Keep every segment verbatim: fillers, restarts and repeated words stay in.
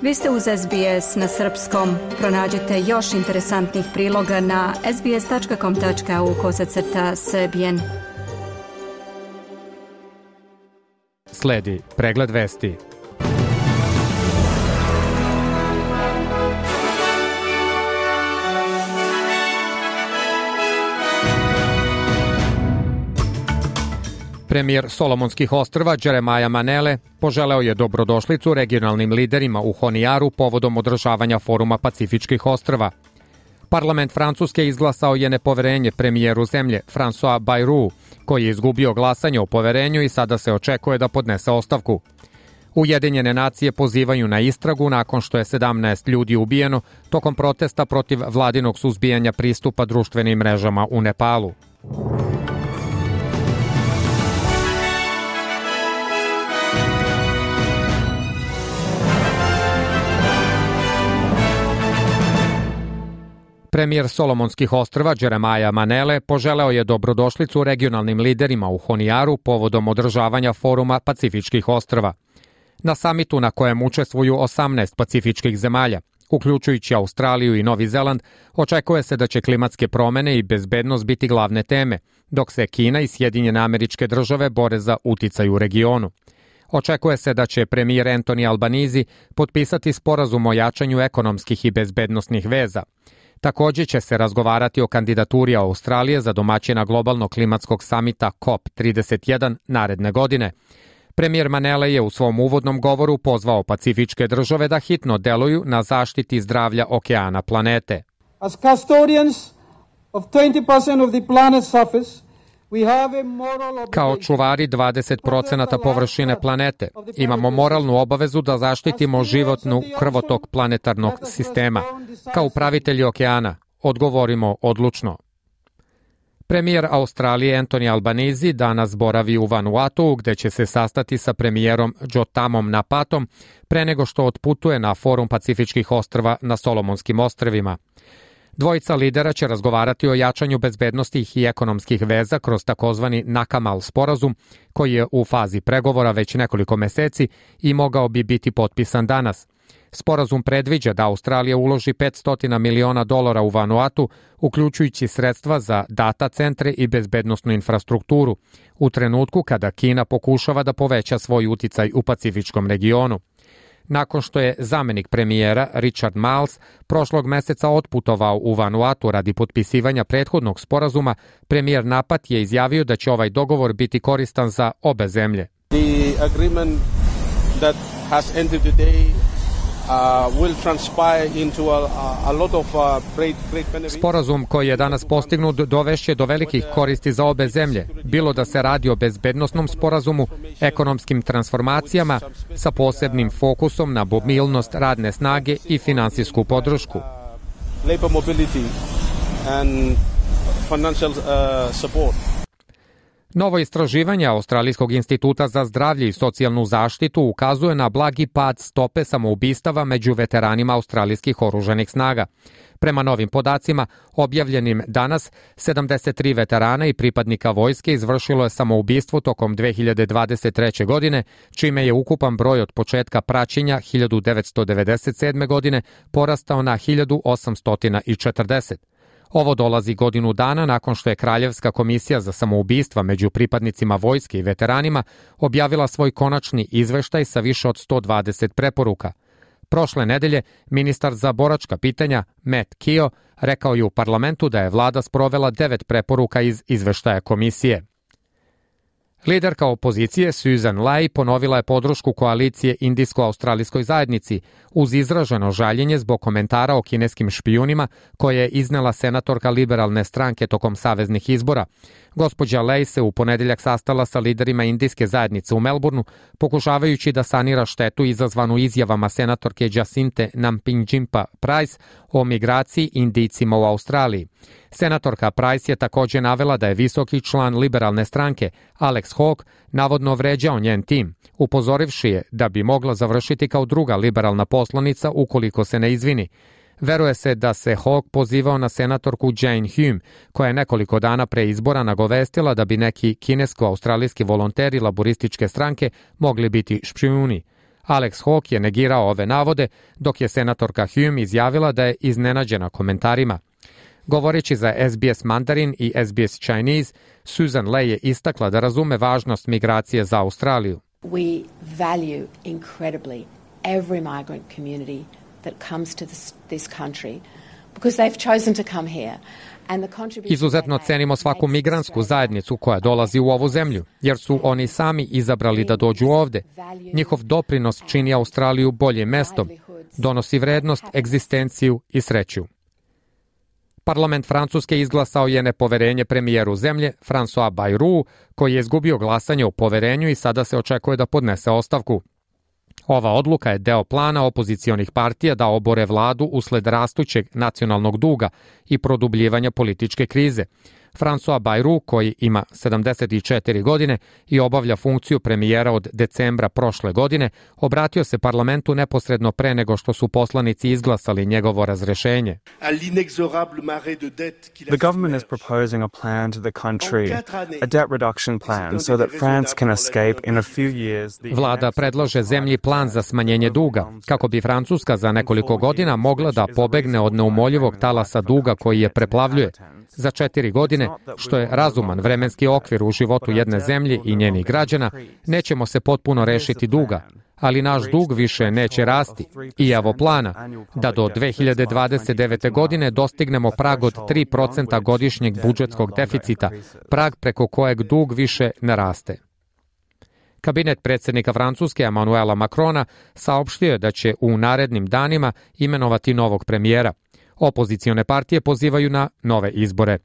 Vi ste uz S B S na srpskom. Pronađite još interesantnih priloga na sbs.com.au kosacrta srbijen. Sledi pregled vesti. Premijer Solomonskih ostrva Jeremiah Manele poželeo je dobrodošlicu regionalnim liderima u Honijaru povodom održavanja foruma Pacifičkih ostrva. Parlament Francuske izglasao je nepoverenje premijeru zemlje François Bayrou, koji je izgubio glasanje o poverenju i sada se očekuje da podnese ostavku. Ujedinjene nacije pozivaju na istragu nakon što je sedamnaest ljudi ubijeno tokom protesta protiv vladinog suzbijanja pristupa društvenim mrežama u Nepalu. Premijer Solomonskih ostrva Jeremiah Manele poželeo je dobrodošlicu regionalnim liderima u Honijaru povodom održavanja foruma Pacifičkih ostrva. Na samitu na kojem učestvuju osamnaest pacifičkih zemalja, uključujući Australiju i Novi Zeland, očekuje se da će klimatske promene i bezbednost biti glavne teme, dok se Kina i Sjedinjene Američke Države bore za uticaj u regionu. Očekuje se da će premijer Anthony Albanese potpisati sporazum o jačanju ekonomskih i bezbednosnih veza. Također će se razgovarati o kandidaturi Australije za domaćina globalnog klimatskog samita C O P trideset jedan naredne godine. Premijer Manele je u svom uvodnom govoru pozvao pacifičke države da hitno deluju na zaštiti zdravlja okeana planete. As custodians of twenty percent of the planet's surface, Kao čuvari dvadeset procenata površine planete, imamo moralnu obavezu da zaštitimo životnu krvotok planetarnog sistema. Kao upravitelji okeana, odgovorimo odlučno. Premijer Australije Anthony Albanese danas boravi u Vanuatu, gde će se sastati sa premijerom Jotamom Napatom pre nego što otputuje na forum Pacifičkih ostrva na Solomonskim ostrvima. Dvojica lidera će razgovarati o jačanju bezbednosti i ekonomskih veza kroz takozvani Nakamal sporazum, koji je u fazi pregovora već nekoliko meseci i mogao bi biti potpisan danas. Sporazum predviđa da Australija uloži petsto miliona dolara u Vanuatu, uključujući sredstva za data centre i bezbednosnu infrastrukturu, u trenutku kada Kina pokušava da poveća svoj uticaj u pacifičkom regionu. Nakon što je zamenik premijera Richard Marles prošlog meseca otputovao u Vanuatu radi potpisivanja prethodnog sporazuma, premijer Napat je izjavio da će ovaj dogovor biti koristan za obe zemlje. The agreement that has ended today Uh, will transpire into a, a lot of uh, great, great benefits. Sporazum koji je danas postignut dovešće do velikih koristi za obe zemlje, bilo da se radi o bezbednosnom sporazumu, ekonomskim transformacijama sa posebnim fokusom na mobilnost radne snage i finansijsku podršku. Labor mobility and financial uh, support. Novo istraživanje Australijskog instituta za zdravlje i socijalnu zaštitu ukazuje na blagi pad stope samoubistava među veteranima australijskih oružanih snaga. Prema novim podacima, objavljenim danas, sedamdeset tri veterana i pripadnika vojske izvršilo je samoubistvo tokom dve hiljade dvadeset treće. godine, čime je ukupan broj od početka praćenja hiljadu devetsto devedeset sedme. godine porastao na hiljadu osamsto četrdeset. Ovo dolazi godinu dana nakon što je Kraljevska komisija za samoubistva među pripadnicima vojske i veteranima objavila svoj konačni izveštaj sa više od sto dvadeset preporuka. Prošle nedelje, ministar za boračka pitanja Matt Keogh rekao je u parlamentu da je vlada sprovela devet preporuka iz izveštaja komisije. Liderka opozicije Susan Lai ponovila je podršku koalicije Indijsko-australijskoj zajednici uz izraženo žaljenje zbog komentara o kineskim špijunima koje je iznela senatorka liberalne stranke tokom saveznih izbora. Gospođa Lai se u ponedeljak sastala sa liderima indijske zajednice u Melbourneu, pokušavajući da sanira štetu izazvanu izjavama senatorke Jacinthe Nampijinpa Price o migraciji Indijcima u Australiji. Senatorka Price je također navela da je visoki član liberalne stranke Alex Hawke navodno vređao njen tim, upozorivši je da bi mogla završiti kao druga liberalna poslanica ukoliko se ne izvini. Veruje se da se Hawke pozivao na senatorku Jane Hume, koja je nekoliko dana pre izbora nagovestila da bi neki kinesko-australijski volonteri laborističke stranke mogli biti špijuni. Alex Hawke je negirao ove navode, dok je senatorka Hume izjavila da je iznenađena komentarima. Govoreći za S B S Mandarin i S B S Chinese, Susan Ley je istakla da razume važnost migracije za Australiju. We value incredibly every migrant community that comes to this, this country because they've chosen to come here. Izuzetno cenimo svaku migrantsku zajednicu koja dolazi u ovu zemlju, jer su oni sami izabrali da dođu ovde. Njihov doprinos čini Australiju boljim mestom, donosi vrednost, egzistenciju i sreću. Parlament Francuske izglasao je nepoverenje premijeru zemlje, François Bayrou, koji je izgubio glasanje o poverenju i sada se očekuje da podnese ostavku. Ova odluka je deo plana opozicionih partija da obore vladu usled rastućeg nacionalnog duga i produbljivanja političke krize. François Bayrou, koji ima sedamdeset četiri godine i obavlja funkciju premijera od decembra prošle godine, obratio se parlamentu neposredno pre nego što su poslanici izglasali njegovo razrešenje. The government is proposing a plan to the country, a debt reduction plan, so that France can escape in a few years. Vlada predlaže zemlji plan za smanjenje duga, kako bi Francuska za nekoliko godina mogla da pobegne od neumoljivog talasa duga koji je preplavljuje. Za četiri godine, što je razuman vremenski okvir u životu jedne zemlje i njenih građana, nećemo se potpuno rešiti duga, ali naš dug više neće rasti. I evo plana, da do dve hiljade dvadeset devete. godine dostignemo prag od tri procenta godišnjeg budžetskog deficita, prag preko kojeg dug više ne raste. Kabinet predsjednika Francuske Emmanuela Macrona saopštio je da će u narednim danima imenovati novog premijera. Opozicione partije pozivaju na nove izbore.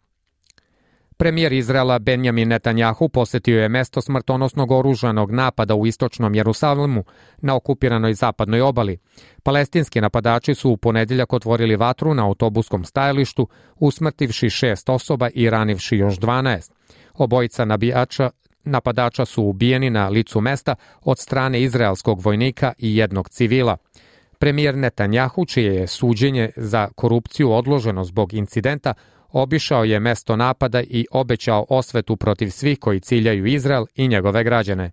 Premijer Izraela Benjamin Netanjahu posetio je mesto smrtonosnog oružanog napada u istočnom Jerusalimu na okupiranoj zapadnoj obali. Palestinski napadači su u ponedeljak otvorili vatru na autobuskom stajalištu, usmrtivši šest osoba i ranivši još dvanaest. Obojica nabijača napadača su ubijeni na licu mesta od strane izraelskog vojnika i jednog civila. Premijer Netanjahu, čije je suđenje za korupciju odloženo zbog incidenta, obišao je mesto napada i obećao osvetu protiv svih koji ciljaju Izrael i njegove građane.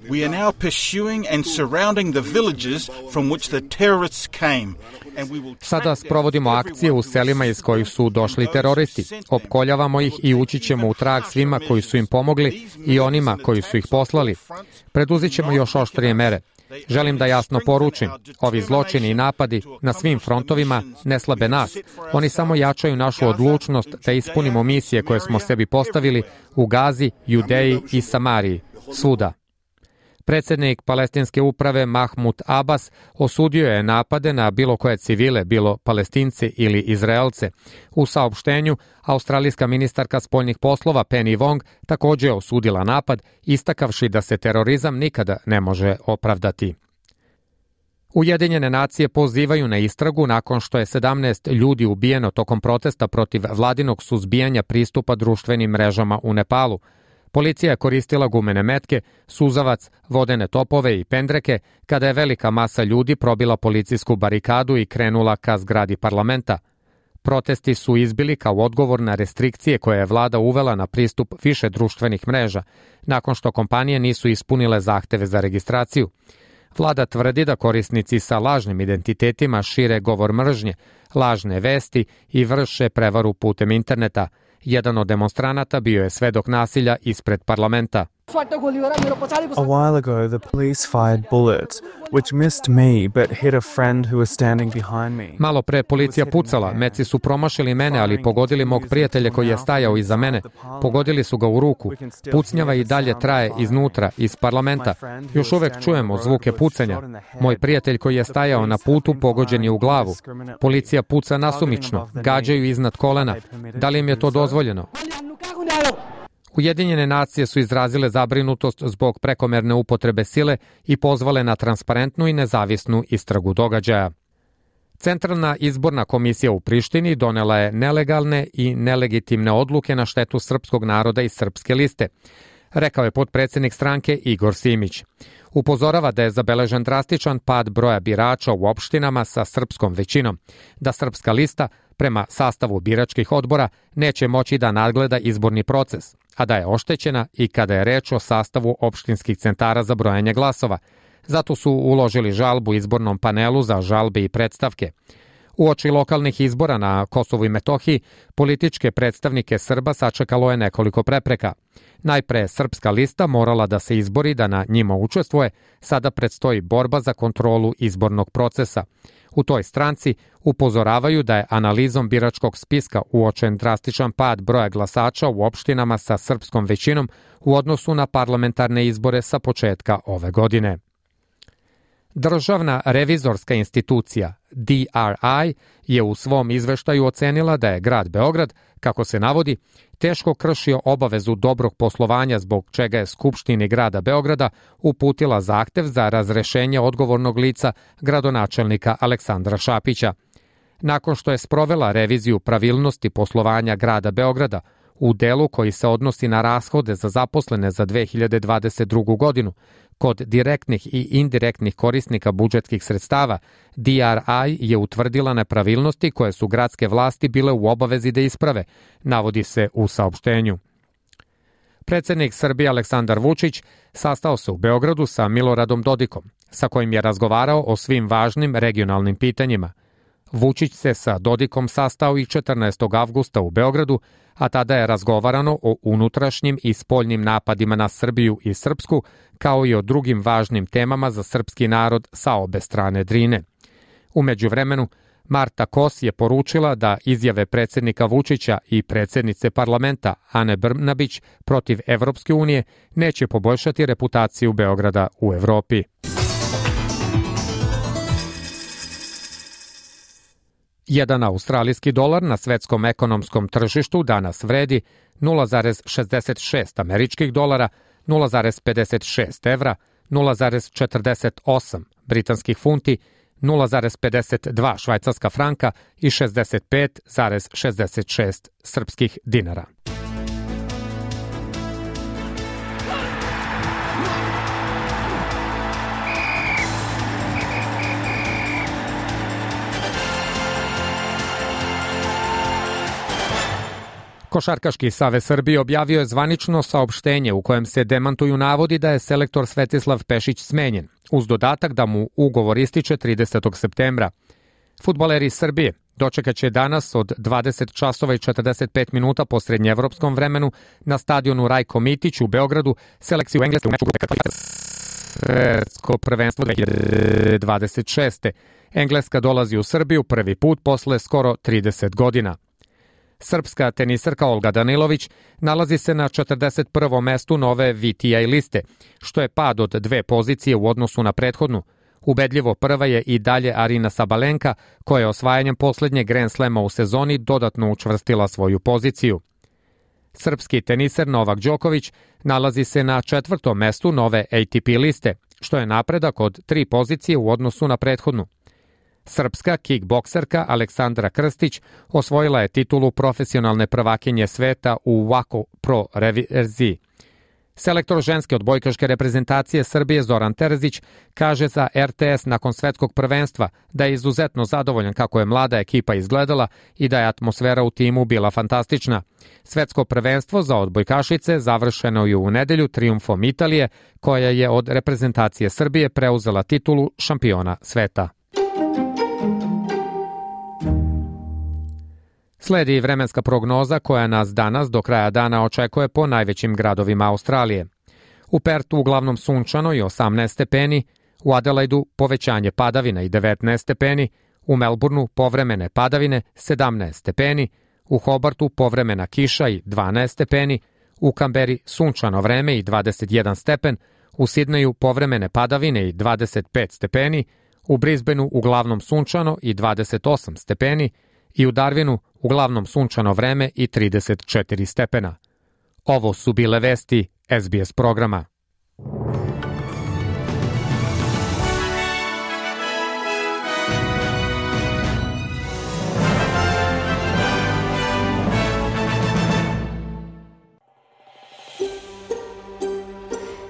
We are now pursuing and surrounding the villages from which the terrorists came. Sada sprovodimo akcije u selima iz kojih su došli teroristi. Opkoljavamo ih i ući ćemo u trag svima koji su im pomogli i onima koji su ih poslali. Preduzet ćemo još oštrije mere. Želim da jasno poručim, ovi zločini i napadi na svim frontovima ne slabe nas. Oni samo jačaju našu odlučnost da ispunimo misije koje smo sebi postavili u Gazi, Judeji i Samariji, svuda. Predsjednik palestinske uprave Mahmud Abbas osudio je napade na bilo koje civile, bilo Palestince ili Izraelce. U saopštenju, australijska ministarka spoljnih poslova Penny Wong također je osudila napad, istakavši da se terorizam nikada ne može opravdati. Ujedinjene nacije pozivaju na istragu nakon što je sedamnaest ljudi ubijeno tokom protesta protiv vladinog suzbijanja pristupa društvenim mrežama u Nepalu. Policija je koristila gumene metke, suzavac, vodene topove i pendreke kada je velika masa ljudi probila policijsku barikadu i krenula ka zgradi parlamenta. Protesti su izbili kao odgovor na restrikcije koje je vlada uvela na pristup više društvenih mreža, nakon što kompanije nisu ispunile zahteve za registraciju. Vlada tvrdi da korisnici sa lažnim identitetima šire govor mržnje, lažne vesti i vrše prevaru putem interneta. Jedan od demonstranata bio je svedok nasilja ispred parlamenta. A while ago, the police fired bullets, which missed me but hit a friend who was standing behind me. Malo pre policija pucala, meci su promašili mene, ali pogodili mog prijatelja koji je stajao iza mene. Pogodili su ga u ruku. Pucnjava i dalje traje iznutra, iz parlamenta. Još uvek čujemo zvuke pucanja. Moj prijatelj koji je stajao na putu pogođen je u glavu. Policija puca nasumično, gađaju iznad kolena. Da li im je to dozvoljeno? Ujedinjene nacije su izrazile zabrinutost zbog prekomerne upotrebe sile i pozvale na transparentnu i nezavisnu istragu događaja. Centralna izborna komisija u Prištini donela je nelegalne i nelegitimne odluke na štetu srpskog naroda i Srpske liste, rekao je potpredsjednik stranke Igor Simić. Upozorava da je zabeležen drastičan pad broja birača u opštinama sa srpskom većinom, da Srpska lista prema sastavu biračkih odbora neće moći da nadgleda izborni proces, a da je oštećena i kada je reč o sastavu opštinskih centara za brojanje glasova. Zato su uložili žalbu izbornom panelu za žalbe i predstavke. Uoči lokalnih izbora na Kosovu i Metohiji, političke predstavnike Srba sačekalo je nekoliko prepreka. Najpre Srpska lista morala da se izbori da na njima učestvuje, sada predstoji borba za kontrolu izbornog procesa. U toj stranci upozoravaju da je analizom biračkog spiska uočen drastičan pad broja glasača u opštinama sa srpskom većinom u odnosu na parlamentarne izbore sa početka ove godine. Državna revizorska institucija D R I je u svom izveštaju ocenila da je grad Beograd, kako se navodi, teško kršio obavezu dobrog poslovanja zbog čega je Skupštini grada Beograda uputila zahtev za razrešenje odgovornog lica gradonačelnika Aleksandra Šapića. Nakon što je sprovela reviziju pravilnosti poslovanja grada Beograda u delu koji se odnosi na rashode za zaposlene za dve hiljade dvadeset drugu godinu, kod direktnih i indirektnih korisnika budžetskih sredstava, D R I je utvrdila nepravilnosti koje su gradske vlasti bile u obavezi da isprave, navodi se u saopštenju. Predsednik Srbije Aleksandar Vučić sastao se u Beogradu sa Miloradom Dodikom, sa kojim je razgovarao o svim važnim regionalnim pitanjima. Vučić se sa Dodikom sastao i četrnaestog avgusta u Beogradu, a tada je razgovarano o unutrašnjim i spoljnim napadima na Srbiju i Srpsku, kao i o drugim važnim temama za srpski narod sa obe strane Drine. U međuvremenu, Marta Kos je poručila da izjave predsednika Vučića i predsednice parlamenta Ane Brnabić protiv Evropske unije neće poboljšati reputaciju Beograda u Evropi. Jedan australijski dolar na svetskom ekonomskom tržištu danas vredi nula zarez šezdeset šest američkih dolara, nula zarez pedeset šest evra, nula zarez četrdeset osam britanskih funti, nula zarez pedeset dva švajcarska franka i šezdeset pet zarez šezdeset šest srpskih dinara. Košarkaški savez Srbije objavio je zvanično saopštenje u kojem se demantuju navodi da je selektor Svetislav Pešić smenjen, uz dodatak da mu ugovor ističe tridesetog septembra. Fudbaleri Srbije dočekaće danas od dvadeset časova i četrdeset pet minuta po srednjeevropskom vremenu na stadionu Rajko Mitić u Beogradu selekciju Engleske u meču grupe Svetsko prvenstvo dve hiljade dvadeset šeste. Engleska dolazi u Srbiju prvi put posle skoro trideset godina. Srpska tenisarka Olga Danilović nalazi se na četrdeset prvom mestu nove V T A liste, što je pad od dve pozicije u odnosu na prethodnu. Ubedljivo prva je i dalje Arina Sabalenka, koja je osvajanjem poslednjeg Grand Slema u sezoni dodatno učvrstila svoju poziciju. Srpski teniser Novak Đoković nalazi se na četvrtom mestu nove A T P liste, što je napredak od tri pozicije u odnosu na prethodnu. Srpska kickbokserka Aleksandra Krstić osvojila je titulu profesionalne prvakinje sveta u Wako Pro verziji. Selektor ženske odbojkaške reprezentacije Srbije Zoran Terzić kaže za R T S nakon svetskog prvenstva da je izuzetno zadovoljan kako je mlada ekipa izgledala i da je atmosfera u timu bila fantastična. Svetsko prvenstvo za odbojkašice završeno je u nedelju trijumfom Italije, koja je od reprezentacije Srbije preuzela titulu šampiona sveta. Sledi vremenska prognoza koja nas danas do kraja dana očekuje po najvećim gradovima Australije. U Pertu uglavnom sunčano i osamnaest stepeni, u Adelaidu povećanje padavina i devetnaest stepeni, u Melbourneu povremene padavine sedamnaest stepeni, u Hobartu povremena kiša i dvanaest stepeni, u Kamberi sunčano vreme i dvadeset jedan stepen, u Sidneju povremene padavine i dvadeset pet stepeni, u Brisbaneu uglavnom sunčano i dvadeset osam stepeni i u Darwinu uglavnom sunčano vreme i trideset četiri stepena. Ovo su bile vesti S B S programa.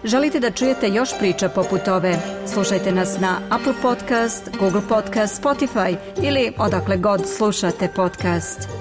Želite da čujete još priča poput ove? Slušajte nas na Apple Podcast, Google Podcast, Spotify ili odakle god slušate podcast.